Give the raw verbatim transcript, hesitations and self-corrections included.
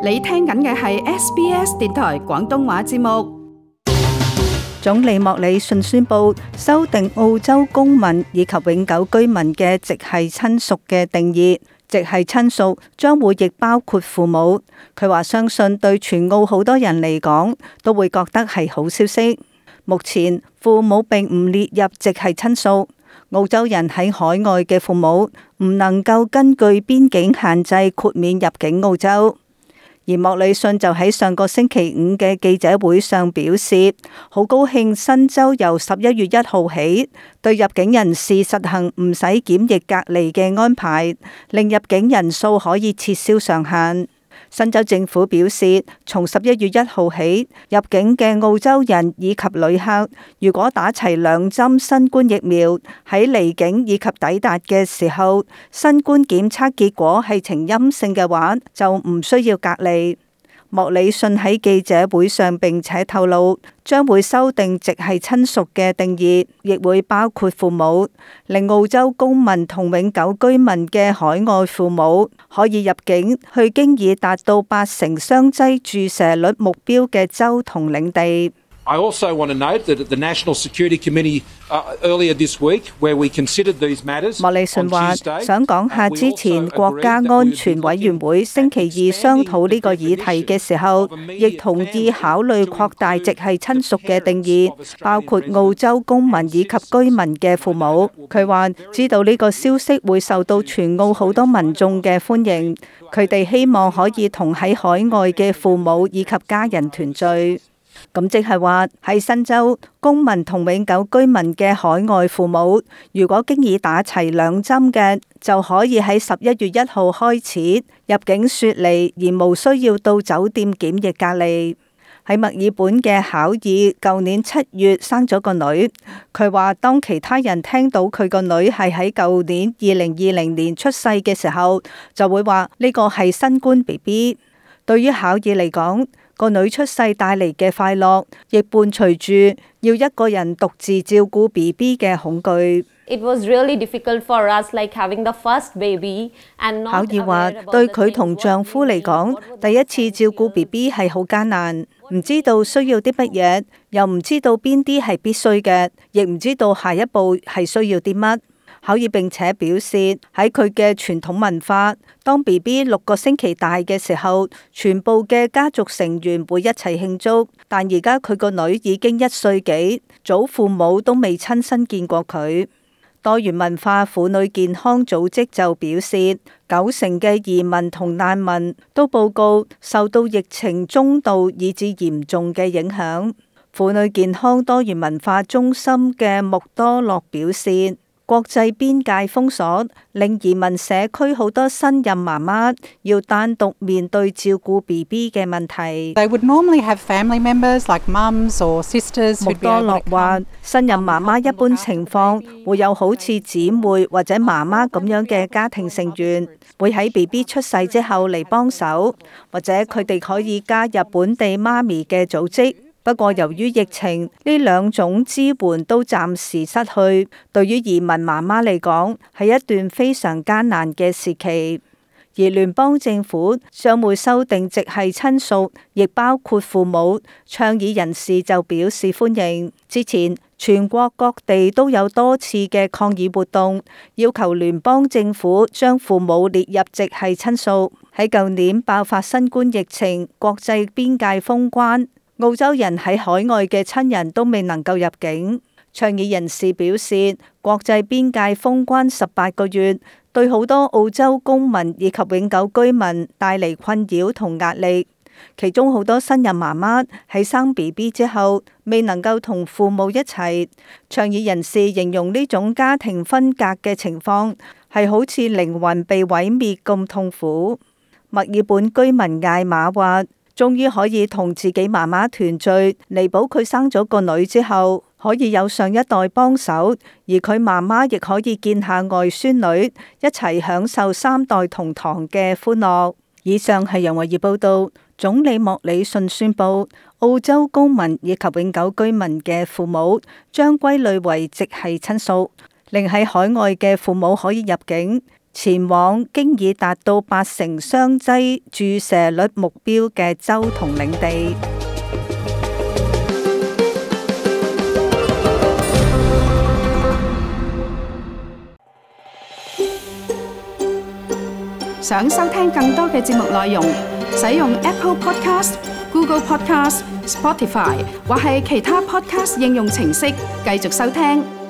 你聽緊嘅係 S B S 電台廣東話節目。總理莫里遜宣布修訂澳洲公民以及永久居民嘅直系親屬嘅定義，直系親屬將會亦包括父母。佢話相信對全澳好多人嚟講都會覺得係好消息。目前父母並唔列入直系親屬，澳洲人喺海外嘅父母唔能夠根據邊境限制豁免入境澳洲。而莫里遜就喺上個星期五嘅記者會上表示，好高興新州由十一月一號起對入境人士實行唔使檢疫隔離嘅安排，令入境人數可以撤銷上限。新州政府表示，從十一月一號起，入境嘅澳洲人以及旅客，如果打齊兩針新冠疫苗，喺離境以及抵達嘅時候，新冠檢測結果係呈陰性嘅話，就唔需要隔離。莫里遜喺記者會上並且透露，將會修訂直系親屬嘅定義，亦會包括父母，令澳洲公民同永久居民嘅海外父母可以入境去經已達到八成雙劑注射率目標嘅州同領地。I also want to note that at the National Security Committee uh, earlier this week, where we considered these matters, 莫里遜話想講下之前國家安全委員會星期二商討呢個議題嘅時候，亦同意考慮擴大直系親屬嘅定義，包括澳洲公民以及居民嘅父母。佢話知道呢個消息會受到全澳好多民眾嘅歡迎，佢哋希望可以同喺海外嘅父母以及家人團聚。咁即係話喺新州公民同永久居民嘅海外父母，如果經已打齊兩針嘅，就可以喺十一月一號開始入境雪梨，而無需要到酒店檢疫隔離。喺墨爾本嘅考爾舊年七月生咗個女，佢話當其他人聽到佢個女係喺舊年二零二零年出世嘅時候，就會話呢個係新冠 B B。對於考爾嚟講，個女出世帶嚟嘅快樂，亦伴隨住要一個人獨自照顧 B B 嘅恐懼。It was really difficult for us, like having the first baby and not 考爾話對佢同丈夫嚟講，第一次照顧 B B 係好艱難，唔知道需要啲乜嘢，又唔知道邊啲係必須嘅，亦唔知道下一步係需要啲乜。考爾並且表示喺佢嘅傳統文化，當 B B 六個星期大嘅時候，全部嘅家族成員會一齊慶祝。但而家佢個女已經一歲幾，祖父母都未親身見過佢。多元文化婦女健康組織就表示，九成嘅移民同難民都報告受到疫情中度以至嚴重嘅影響。婦女健康多元文化中心嘅穆多洛表示，國際邊界封鎖令移民社區好多新任媽媽要單獨面對照顧 B B 嘅問題。They would normally have family members like mums or sisters. 穆多洛話，新任媽媽一般情況會有好似姊妹或者媽媽咁樣嘅家庭成員，會喺 B B 出世之後嚟幫手，或者佢哋可以加入本地媽咪嘅組織。不過由於疫情，呢兩種支援都暫時失去，對於移民媽媽嚟講係一段非常艱難嘅時期。而聯邦政府將會修訂直系親屬，亦包括父母。倡議人士就表示歡迎。之前全國各地都有多次嘅抗議活動，要求聯邦政府將父母列入直系親屬。喺舊年爆發新冠疫情，國際邊界封關，澳洲人喺海外嘅親人都未能夠入境。倡議人士表示，國際邊界封關十八個月，對好多澳洲公民以及永久居民帶嚟困擾同壓力。其中好多新任媽媽喺生 B B 之後，未能夠同父母一齊。倡議人士形容呢種家庭分隔嘅情況係好似靈魂被毀滅咁痛苦。墨爾本居民艾瑪話，終於可以同自己媽媽團聚，彌補佢生咗個女之後，可以有上一代幫手，而佢媽媽亦可以見下外孫女，一齊享受三代同堂嘅歡樂。以上係楊慧儀報道。總理莫里遜宣布，澳洲公民以及永久居民嘅父母將歸類為直系親屬，令喺海外嘅父母可以入境，前往經已達到八成雙劑注射率目標嘅州同領地。想收聽更多嘅節目內容，使用 Apple Podcast、Google Podcast、Spotify 或係其他 Podcast 應用程式繼續收聽。